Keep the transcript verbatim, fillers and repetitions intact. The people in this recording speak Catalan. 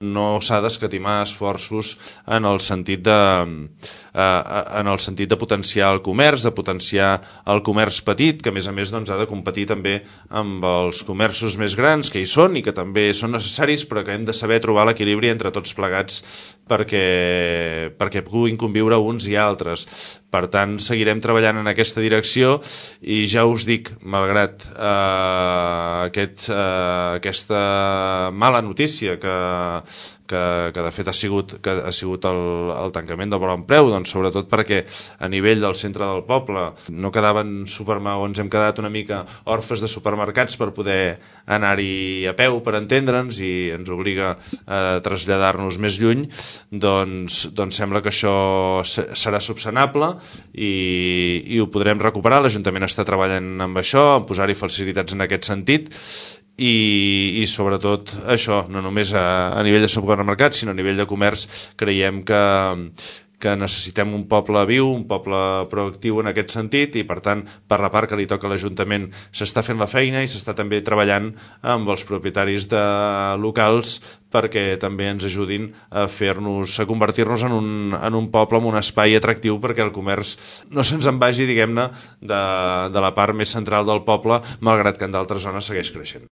no s'ha d'escatimar esforços en el sentit de eh, en el sentit de potenciar el comerç, de potenciar el comerç petit, que a més a més doncs, ha de competir també amb els comerços més grans que hi són i que també són necessaris, però que hem de saber trobar l'equilibri entre tots plegats perquè, perquè puguin conviure uns i altres. Per tant, seguirem treballant en aquesta direcció i ja us dic, malgrat eh, aquest, eh, aquesta mala notícia que, que, que de fet ha sigut, que ha sigut el, el tancament del Bon Preu, doncs sobretot perquè a nivell del centre del poble no quedaven supermercats, hem quedat una mica orfes de supermercats per poder anar-hi a peu, per entendre'ns, i ens obliga a traslladar-nos més lluny, doncs, doncs sembla que això serà subsanable i, i ho podrem recuperar. L'Ajuntament està treballant amb això, a posar-hi facilitats en aquest sentit, i, i sobretot això, no només a, a nivell de supermercats, sinó a nivell de comerç, creiem que, que necessitem un poble viu, un poble proactiu en aquest sentit, i per tant, per la part que li toca a l'Ajuntament s'està fent la feina i s'està també treballant amb els propietaris de locals perquè també ens ajudin a fer-nos, a convertir-nos en un, en un poble, en un espai atractiu perquè el comerç no se'ns en vagi, diguem-ne, de, de la part més central del poble, malgrat que en d'altres zones segueix creixent.